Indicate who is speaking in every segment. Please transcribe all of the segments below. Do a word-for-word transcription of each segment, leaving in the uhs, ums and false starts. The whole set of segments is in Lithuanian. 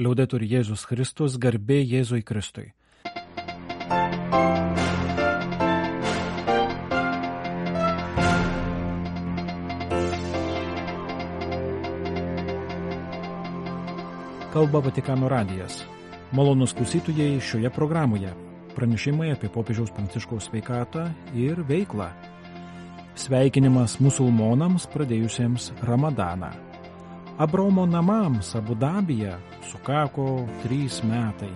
Speaker 1: Liaudetur Jėzus Kristus, garbė Jėzui Kristui. Kalba Vatikano radijas. Malonūs klausytojai, šioje programoje pranešimai apie popiežiaus Pranciškaus sveikatą ir veiklą. Sveikinimas musulmonams pradėjusiems Ramadaną. Abraomo namams Abu Dabyje sukako trys metai.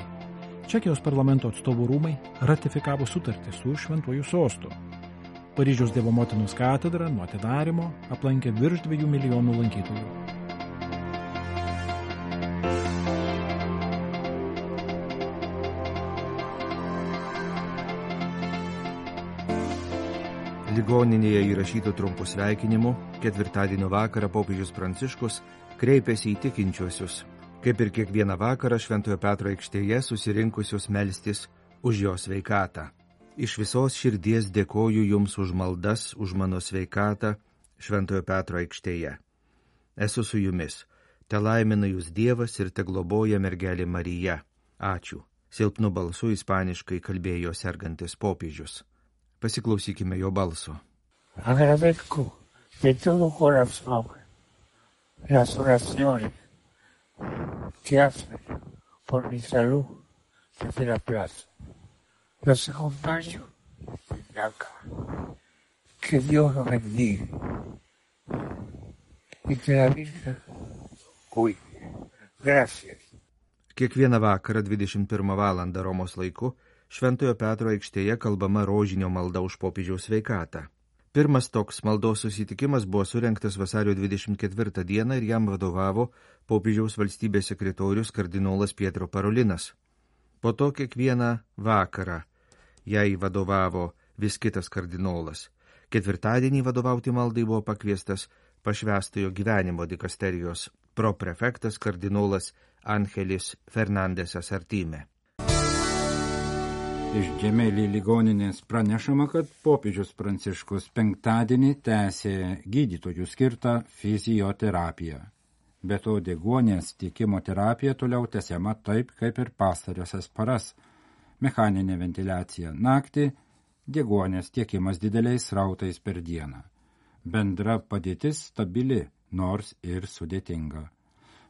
Speaker 1: Čekijos parlamento atstovų rūmai ratifikavo sutartį su Šventuoju sostu. Paryžiaus Dievo Motinos katedrą nuo atidarymo aplankė virš dviejų milijonų lankytojų.
Speaker 2: Ligoninėje įrašytų trumpų sveikinimų ketvirtadienio vakarą popiežius Pranciškus kreipėsi į tikinčiuosius, kaip ir kiekvieną vakarą Šventojo Petro aikštėje susirinkusius melstis už jo sveikatą. Iš visos širdies dėkoju jums už maldas, už mano sveikatą Šventojo Petro aikštėje. Esu su jumis, te laimina jūs Dievas ir te globoja mergelė Marija. Ačiū. Silpnu balsu ispaniškai kalbėjo sergantis popiežius. Pasiklausykime jo balso.
Speaker 3: Agradezco de todo corazón las oraciones que hacen por mi salud desde la plaza. Los acompaño desde acá. Que Dios los bendiga y que la Virgen cuide. Gracias.
Speaker 2: Kiekvieną vakarą dvidešimt pirmą valandą Romos laiku Šventojo Petro aikštėje kalbama rožinio malda už popiežiaus sveikatą. Pirmas toks maldos susitikimas buvo surengtas vasario dvidešimt ketvirtą dieną ir jam vadovavo popiežiaus valstybės sekretorius kardinolas Pietro Parolinas. Po to kiekvieną vakarą jai vadovavo vis kitas kardinolas. Ketvirtadienį vadovauti maldai buvo pakviestas pašvęstojo gyvenimo dikasterijos proprefektas kardinolas Angelis Fernandesas Artime.
Speaker 4: Iš Džemelį ligoninės pranešama, kad popiežius Pranciškus penktadienį tęsė gydytojų skirtą fizioterapiją. Be to deguonies tiekimo terapija toliau tęsiama taip, kaip ir pastarąsias paras. Mechaninė ventiliacija naktį, deguonies tiekimas dideliais srautais per dieną. Bendra padėtis stabili, nors ir sudėtinga.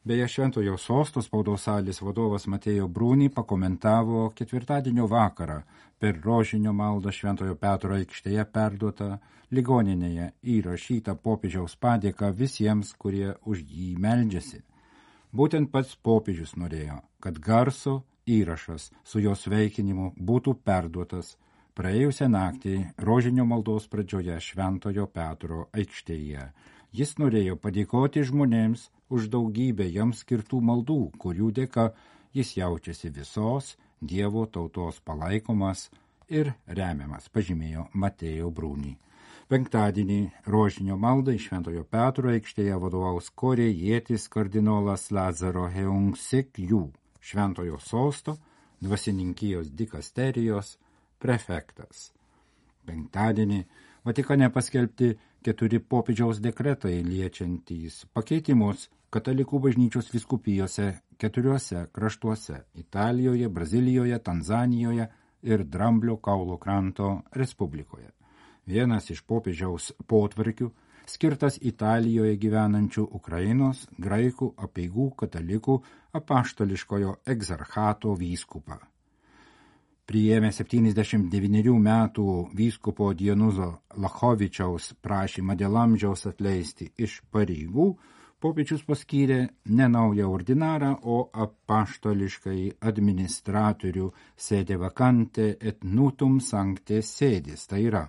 Speaker 4: Beje, Šventojo sosto spaudos salės vadovas Matėjo Brūnį pakomentavo ketvirtadienio vakarą per rožinio maldą Šventojo Petro aikštėje perduotą ligoninėje įrašytą popiežiaus padėką visiems, kurie už jį meldžiasi. Būtent pats popiežius norėjo, kad garso įrašas su jo sveikinimu būtų perduotas praėjusią naktį rožinio maldos pradžioje Šventojo Petro aikštėje. Jis norėjo padėkoti žmonėms už daugybę jam skirtų maldų, kurių dėka jis jaučiasi visos Dievo tautos palaikomas ir remiamas, pažymėjo Matėjo Brūnį. Penktadienį rožinio maldai Šventojo Petro aikštėje vadovaus korėjietis kardinolas Lazaro Heungsik Jų, Šventojo sosto dvasininkijos dikasterijos prefektas. Penktadienį Vatikane paskelbti keturi popiežiaus dekretai liečiantys pakeitimus katalikų bažnyčios vyskupijose keturiuose kraštuose – Italijoje, Brazilijoje, Tanzanijoje ir Dramblio kaulo kranto Respublikoje. Vienas iš popiežiaus potvarkių skirtas Italijoje gyvenančių Ukrainos graikų apeigų katalikų apaštališkojo egzarchato vyskupą. Priėmė septyniasdešimt devynerių metų vyskupo Dienuzo Lachovičiaus prašymą dėl amžiaus atleisti iš pareigų, popiežius paskyrė ne naują ordinarą, o apaštališkai administratorių sede vacante et nutum sancte sedis, tai yra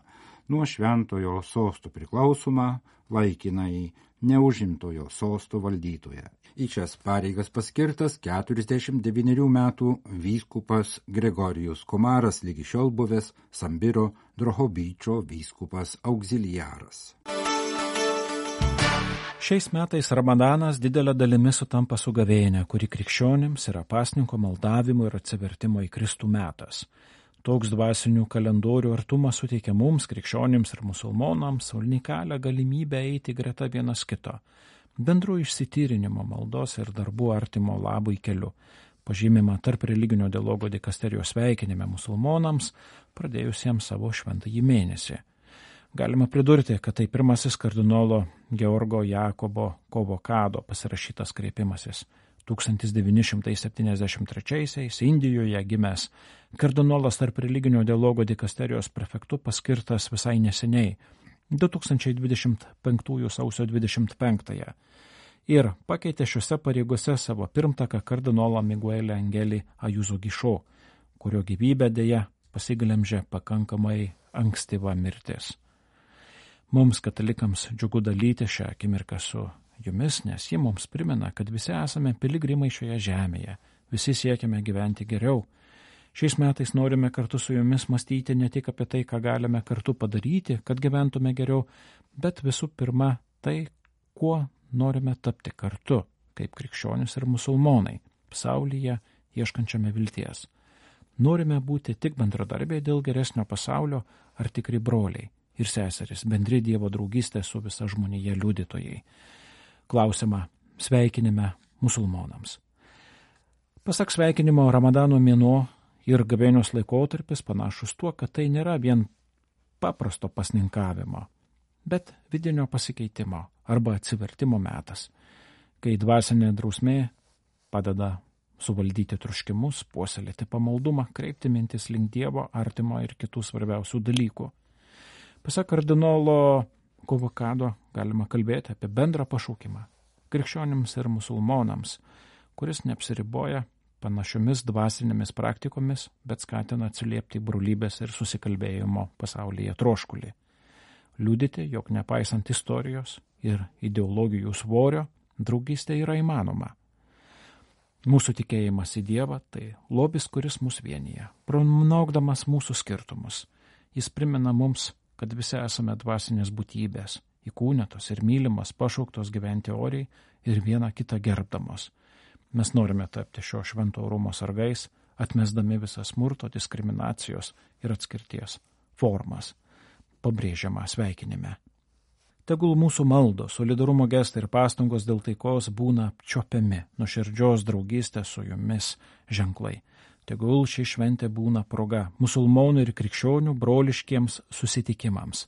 Speaker 4: nuo Šventojo sosto priklausoma laikinai neužimtojo sosto valdytoje. Į šias pareigas paskirtas keturiasdešimt devynerių metų vyskupas Gregorijus Komaras, lygi šiol buvęs Sambiro Drohobyčio vyskupas auxiliaras.
Speaker 1: Šiais metais Ramadanas didelė dalimi sutampa su gavėnia, kuri krikščionims yra pasninko maldavimo ir atsivertimo į Kristų metas. Toks dvasinių kalendorių artumas suteikia mums, krikščionims ir musulmonams, unikalią galimybę eiti greta vienas kito, bendru išsityrinimo maldos ir darbų artimo labui keliu, pažymima tarp religinio dialogo dikasterijos sveikinime musulmonams, pradėjusiems savo šventąjį mėnesį. Galima pridurti, kad tai pirmasis kardinolo Georgo Jakobo Kovokado pasirašytas kreipimasis. tūkstantis devyni šimtai septyniasdešimt trečiaisiais Indijoje gimęs kardinolas tarp religinio dialogo dikasterijos prefektu paskirtas visai neseniai, du tūkstančiai dvidešimt penktųjų sausio dvidešimt penktąją, ir pakeitė šiuose pareigose savo pirmtaką kardinolą Miguelį Angelį Ajuzo Gišo, kurio gyvybę dėja pasiglemžė pakankamai ankstyva mirtis. Mums, katalikams, džiugu dalyti šią akimirką su jumis, nes ji mums primena, kad visi esame piligrimai šioje žemėje, visi siekiame gyventi geriau. Šiais metais norime kartu su jumis mąstyti ne tik apie tai, ką galime kartu padaryti, kad gyventume geriau, bet visų pirma tai, kuo norime tapti kartu, kaip krikščionis ir musulmonai, pasaulyje ieškančiame vilties. Norime būti tik bendradarbiai dėl geresnio pasaulio ar tikri broliai ir seserys, bendri Dievo draugystė su visa žmonija liudytojai. Klausimą sveikinime musulmonams. Pasak sveikinimo, Ramadano mėnuo ir gavėnios laikotarpis panašus tuo, kad tai nėra vien paprasto pasninkavimo, bet vidinio pasikeitimo arba atsivertimo metas, kai dvasinė drausmė padeda suvaldyti troškimus, puoselėti pamaldumą, kreipti mintis link Dievo, artimo ir kitų svarbiausių dalykų. Pasak kardinolo Kovokado galima kalbėti apie bendrą pašaukimą krikščionims ir musulmonams, kuris neapsiriboja panašiomis dvasinėmis praktikomis, bet skatina atsiliepti brolybės ir susikalbėjimo pasaulyje troškulį. Liudyti, jog nepaisant istorijos ir ideologijų svorio, draugystė yra įmanoma. Mūsų tikėjimas į Dievą tai lobis, kuris mus vienyje, pranaukdamas mūsų skirtumus. Jis primena mums, kad visi esame dvasinės būtybės, įkūnytos ir mylimas, pašauktos gyventi oriai ir vieną kitą gerbdamos. Mes norime tapti šio švento orumo sargais, atmesdami visą smurto, diskriminacijos ir atskirties formas, pabrėžiama sveikinime. Tegul mūsų maldos, solidarumo gestai ir pastangos dėl taikos būna apčiopiami, nuoširdžios draugystės su jumis ženklai. Tegul ši šventė būna proga musulmonų ir krikščionių broliškiems susitikimams,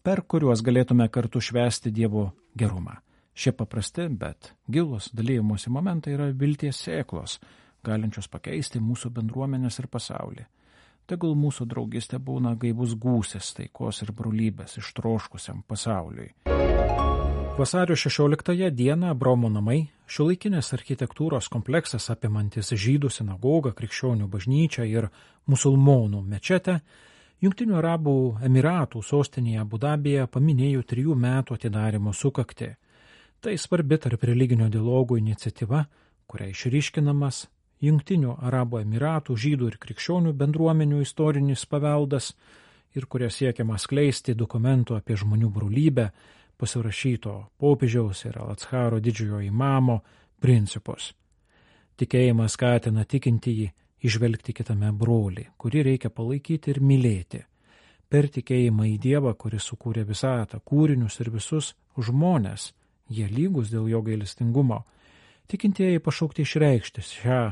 Speaker 1: per kuriuos galėtume kartu švęsti Dievo gerumą. Šie paprasti, bet gilus dalymosi momentai yra vilties sėklos, galinčios pakeisti mūsų bendruomenės ir pasaulį. Tegul mūsų draugystė būna gaivus gūsis taikos ir brolybės ištroškusiam pasauliui. Vasario šešioliktąją dieną Abraomo namai, šiuolaikinės architektūros kompleksas apimantis žydų sinagogą, krikščionių bažnyčią ir musulmonų mečetę, Jungtinių Arabų Emiratų sostinėje Abu Dabyje paminėjo trijų metų atidarymo sukaktį. Tai svarbi tarp religinio dialogo iniciatyva, kuria išryškinamas Jungtinių Arabų Emiratų žydų ir krikščionių bendruomenių istorinis paveldas ir kuria siekiama skleisti dokumentų apie žmonių brolybę, pasirašyto popiežiaus ir Al-Atsharo didžiojo imamo principus. Tikėjimas skatina tikintįjį išvelgti kitame brolį, kurį reikia palaikyti ir mylėti. Per tikėjimą į Dievą, kuris sukūrė visatą, kūrinius ir visus žmonės, jie lygus dėl jo gailestingumo, tikintieji pašaukti išreikšti šią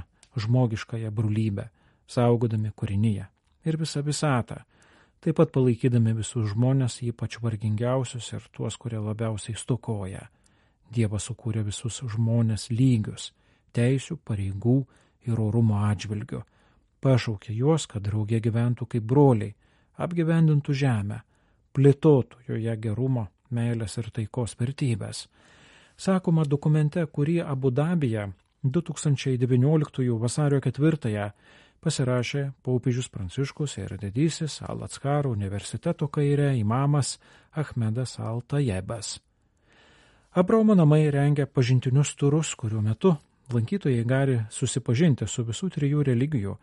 Speaker 1: žmogiškąją brolybę, saugodami kūrinyje ir visą visatą, taip pat palaikydami visus žmonės, ypač vargingiausius ir tuos, kurie labiausiai stokoja. Dievas sukūrė visus žmonės lygius, teisių, pareigų ir orumo atžvilgiu. Pašaukė juos, kad drauge gyventų kaip broliai, apgyvendintų žemę, plėtotų joje gerumo, meilės ir taikos vertybės. Sakoma dokumente, kurį Abu Dabyje du tūkstančiai devynioliktųjų vasario ketvirtąją pasirašė popiežius Pranciškus ir didysis Al-Atsharo universiteto kairė imamas Ahmedas Al-Tajebas. Abraomo namai rengia pažintinius turus, kurių metu lankytojai gali susipažinti su visų trijų religijų,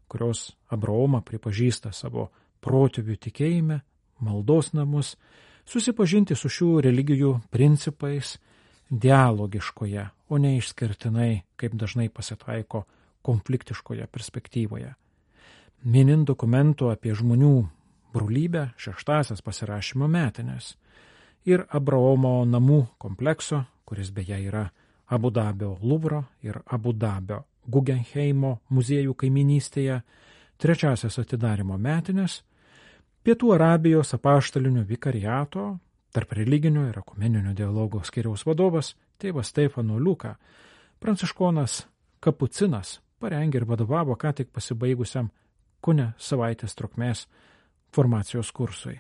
Speaker 1: kurios Abraomą pripažįsta savo protėvių tikėjime, maldos namus, susipažinti su šių religijų principais dialogiškoje, o ne išskirtinai, kaip dažnai pasitaiko, konfliktiškoje perspektyvoje. Minint dokumentų apie žmonių brolybę šeštasias pasirašymo metinės ir Abraomo namų komplekso, kuris beje yra Abu Dabio Luvro ir Abu Dabio Guggenheimo muziejų kaiminystėje, trečiasias atidarimo metinės, Pietų Arabijos apaštalinio vikariato, tarp religinio ir ekumeninio dialogo skyriaus vadovas, tėvas Stefano Liuka, pranciškonas kapucinas, parengė ir vadovavo ką tik pasibaigusiam kone savaitės trukmės formacijos kursui.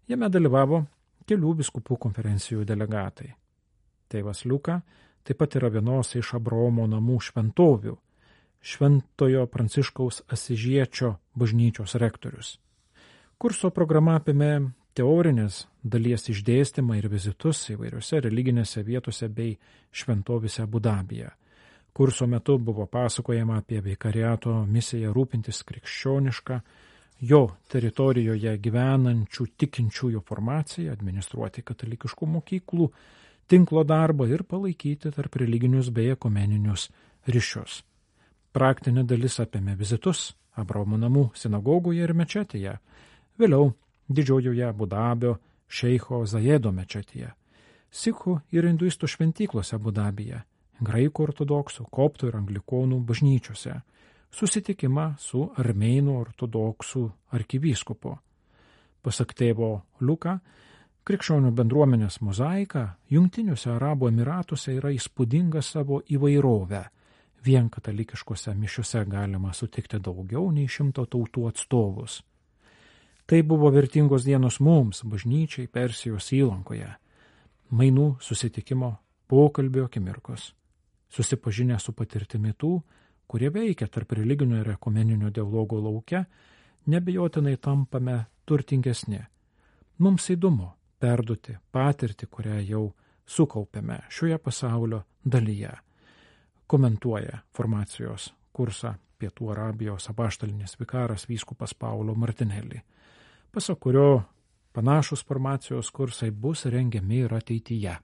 Speaker 1: Jame dalyvavo kelių vyskupų konferencijų delegatai. Tėvas Liuka taip pat yra vienos iš Abraomo namų šventovių, Šventojo Pranciškaus Asižiečio bažnyčios rektorius. Kurso programa apėmė teorinės dalies išdėstymą ir vizitus įvairiose religinėse vietose bei šventovėse Abu Dabyje. Kurso metu buvo pasakojama apie vikariato misiją rūpintis krikščionišką, jo teritorijoje gyvenančių tikinčiųjų formaciją, administruoti katalikiškų mokyklų, tinklo darbą ir palaikyti tarp religinius bei ekumeninius ryšius. Praktinė dalis apėmė vizitus Abraomo namų sinagogoje ir mečetėje, vėliau didžiojoje Abu Dabio šeicho Zajedo mečetėje, sikhų ir hinduistų šventyklose Abu Dabyje, graikų ortodoksų, koptų ir anglikonų bažnyčiose, susitikimą su armėnų ortodoksų arkivyskupu. Pasak tėvo Liuka, krikščionių bendruomenės mozaika Jungtiniuose Arabų Emiratuose yra įspūdinga savo įvairovę. Vien katalikiškose mišiuose galima sutikti daugiau nei šimto tautų atstovus. Tai buvo vertingos dienos mums, bažnyčiai Persijos įlankoje. Mainų, susitikimo, pokalbio akimirkos. Susipažinę su patirtimi tų, kurie veikia tarp religinio ir ekumeninio dialogo lauke, nebejotinai tampame turtingesni. Mums įdomu perduoti patirtį, kurią jau sukaupėme šioje pasaulio dalyje. Komentuoja formacijos kursą Pietų Arabijos apaštalinis vikaras vyskupas Paulo Martinelli, pasak kurio panašus formacijos kursai bus rengiami ir ateityje.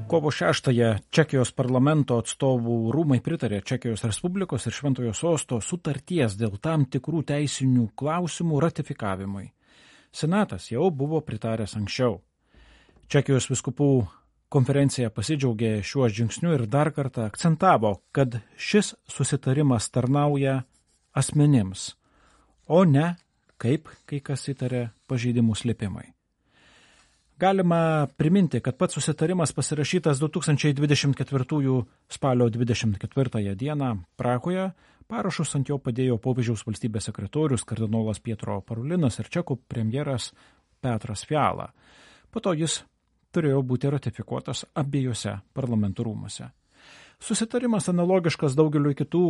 Speaker 1: Kovo šeštąją Čekijos parlamento atstovų rūmai pritarė Čekijos Respublikos ir Šventojo Sosto sutarties dėl tam tikrų teisinių klausimų ratifikavimui. Senatas jau buvo pritaręs anksčiau. Čekijos vyskupų konferencija pasidžiaugė šiuo žingsniu ir dar kartą akcentavo, kad šis susitarimas tarnauja asmenims, o ne, kaip kai kas įtarė, pažeidimų slėpimai. Galima priminti, kad pats susitarimas pasirašytas du tūkstančiai dvidešimt ketvirtųjų spalio dvidešimt ketvirtąją dieną Prahoje, parašus ant jo padėjo popiežiaus valstybės sekretorius kardinolas Pietro Parolinas ir čekų premjeras Petras Fiala. Po to jis turėjo būti ratifikuotas abiejose parlamentų rūmuose. Susitarimas analogiškas daugeliu kitų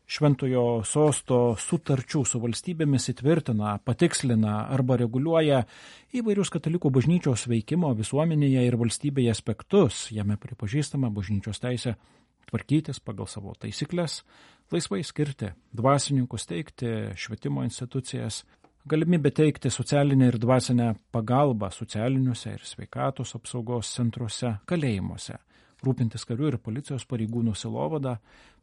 Speaker 1: Šventojo Sosto sutarčių su valstybėmis įtvirtina, patikslina arba reguliuoja įvairius katalikų bažnyčios veikimo visuomenėje ir valstybėje aspektus. Jame pripažįstama bažnyčios teisė tvarkytis pagal savo taisyklės, laisvai skirti dvasininkus, teikti švietimo institucijas, galimybė teikti socialinę ir dvasinę pagalbą socialiniuose ir sveikatos apsaugos centruose, kalėjimuose, rūpintis karių ir policijos pareigūnų sielovada,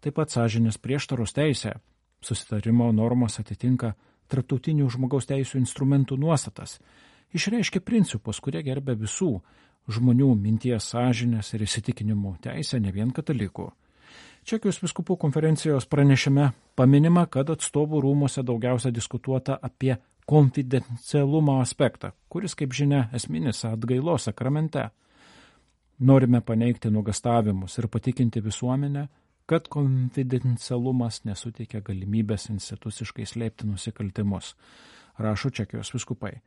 Speaker 1: taip pat sąžinės prieštaros teisė. Susitarimo normos atitinka tarptautinių žmogaus teisų instrumentų nuostatas, išreiškia principus, kurie gerbia visų žmonių minties, sąžinės ir įsitikinimų teisę, ne vien katalikų. Čekijos vyskupų konferencijos pranešime paminima, kad atstovų rūmose daugiausia diskutuota apie konfidencialumo aspektą, kuris, kaip žinia, esminis atgailos sakramente. Norime paneigti nuogąstavimus ir patikinti visuomenę, kad konfidencialumas nesuteikia galimybės instituciškai slėpti nusikaltimus, rašo Čekijos vyskupai.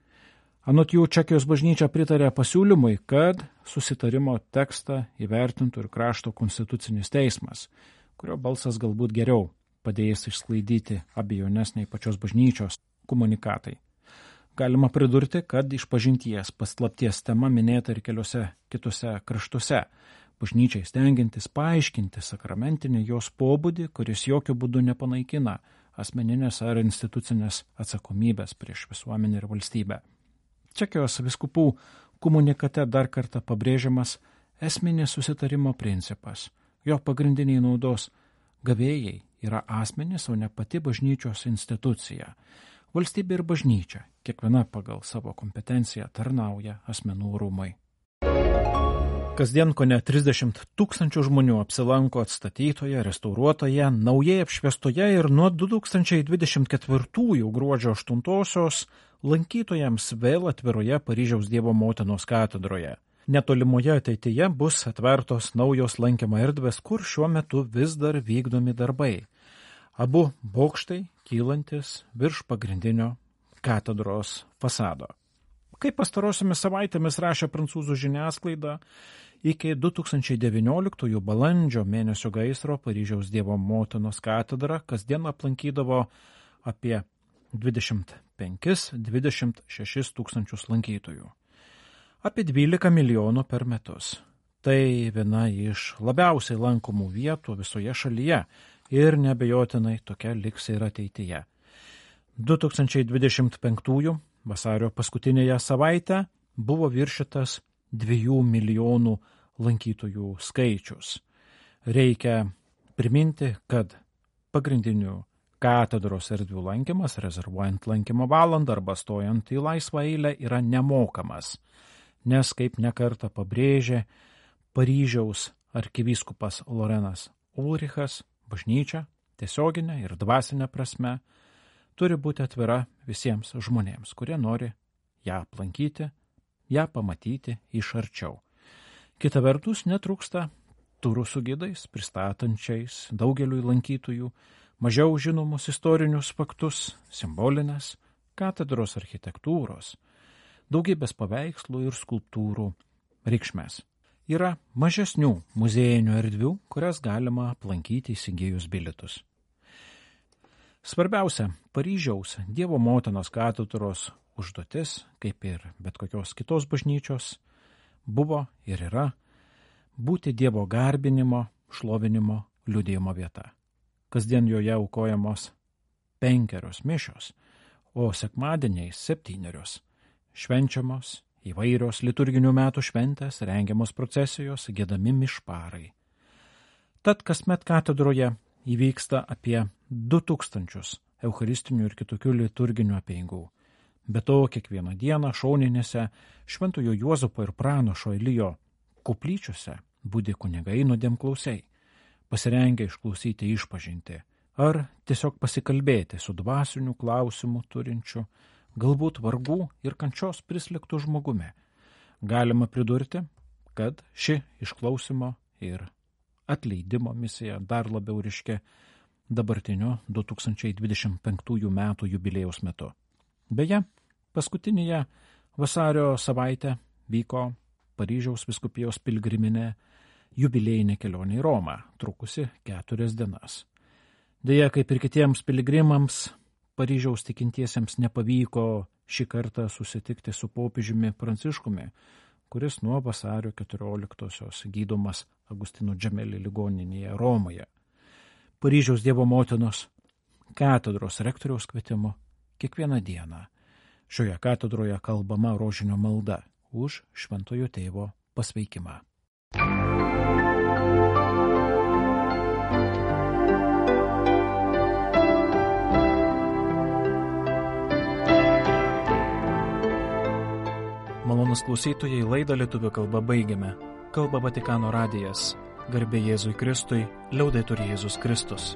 Speaker 1: Anot jų, Čekijos bažnyčia pritarė pasiūlymui, kad susitarimo tekstą įvertintų ir krašto konstitucinis teismas, kurio balsas galbūt geriau padėjęs išsklaidyti abejones nei pačios bažnyčios komunikatai. Galima pridurti, kad išpažinties paslapties tema minėta ir keliose kitose kraštuose, bažnyčiai stengiantis paaiškinti sakramentinį jos pobūdį, kuris jokių būdų nepanaikina asmeninės ar institucinės atsakomybės prieš visuomenę ir valstybę. Čekijos vyskupų komunikate dar kartą pabrėžiamas esminis susitarimo principas. Jo pagrindiniai naudos gavėjai yra asmenys, o ne pati bažnyčios institucija. Valstybė ir bažnyčia kiekviena pagal savo kompetenciją tarnauja asmenų rūmai. Kasdien kone trisdešimt tūkstančių žmonių apsilanko atstatytoje, restauruotoje, naujai apšviestoje ir nuo du tūkstančiai dvidešimt ketvirtųjų gruodžio aštuntosios lankytojams vėl atviroje Paryžiaus Dievo Motinos katedroje. Netolimoje ateityje bus atvertos naujos lankymo erdvės, kur šiuo metu vis dar vykdomi darbai. Abu bokštai kylantis virš pagrindinio katedros fasado. Kaip pastarosiomis savaitėmis rašė prancūzų žiniasklaida, iki du tūkstančiai devynioliktųjų balandžio mėnesio gaisro Paryžiaus Dievo Motinos katedrą kasdien aplankydavo apie dvidešimt penkis dvidešimt šešis tūkstančius lankytojų. Apie dvylika milijonų per metus. Tai viena iš labiausiai lankomų vietų visoje šalyje ir neabejotinai tokia liks ir ateityje. du tūkstančiai dvidešimt penktųjų vasario paskutinėje savaitę buvo viršytas dviejų milijonų lankytojų skaičius. Reikia priminti, kad pagrindinių katedros erdvių lankymas, rezervuojant lankymo valandą arba stojant į laisvą eilę, yra nemokamas, nes, kaip nekartą pabrėžė Paryžiaus arkivyskupas Lorenas Ulrichas, bažnyčia tiesioginė ir dvasinė prasme turi būti atvira visiems žmonėms, kurie nori ją aplankyti, ją pamatyti iš arčiau. Kita vertus, netrūksta turų su gidais, pristatančiais daugeliui lankytojų mažiau žinomus istorinius faktus, simbolinės katedros architektūros, daugybės paveikslų ir skulptūrų reikšmės. Yra mažesnių muziejinių erdvių, kurias galima aplankyti įsigijus bilietus. Svarbiausia Paryžiaus Dievo Motinos katedros užduotis, kaip ir bet kokios kitos bažnyčios, buvo ir yra būti Dievo garbinimo, šlovinimo, liudijimo vieta. Kasdien joje aukojamos penkerios mišios, o sekmadieniais septynerios. Švenčiamos įvairios liturginių metų šventės, rengiamos procesijos, giedami mišparai. Tad kasmet katedroje įvyksta apie du tūkstančius eucharistinių ir kitokių liturginių apeigų. Be to, kiekvieną dieną šoninėse Šventojo Juozapo ir Pranašo Elijo koplyčiose budi kunigai nuodėmklausiai, pasirengę išklausyti išpažinti ar tiesiog pasikalbėti su dvasiniu klausimu turinčiu, galbūt vargų ir kančios prislėgtų žmogumi. Galima pridurti, kad ši išklausimo ir atleidimo misija dar labiau ryški dabartinio du tūkstančiai dvidešimt penktųjų metų jubiliejaus metu. Beje, paskutinėje vasario savaitę vyko Paryžiaus vyskupijos pilgriminė jubiliejinė kelionė į Romą, trukusi keturias dienas. Deja, kaip ir kitiems piligrimams, Paryžiaus tikintiesiems nepavyko šį kartą susitikti su popiežiumi Pranciškumi, kuris nuo vasario keturioliktosios gydomas Agustino Džemeli ligoninėje Romoje. Paryžiaus Dievo Motinos katedros rektoriaus kvietimu kiekvieną dieną šioje katedroje kalbama rožinio malda už Šventojo Tėvo pasveikimą. Malonus klausytojai, laidą lietuvių kalba baigiame. Kalba Vatikano radijas. Garbė Jėzui Kristui, liaudetur Jėzus Kristus.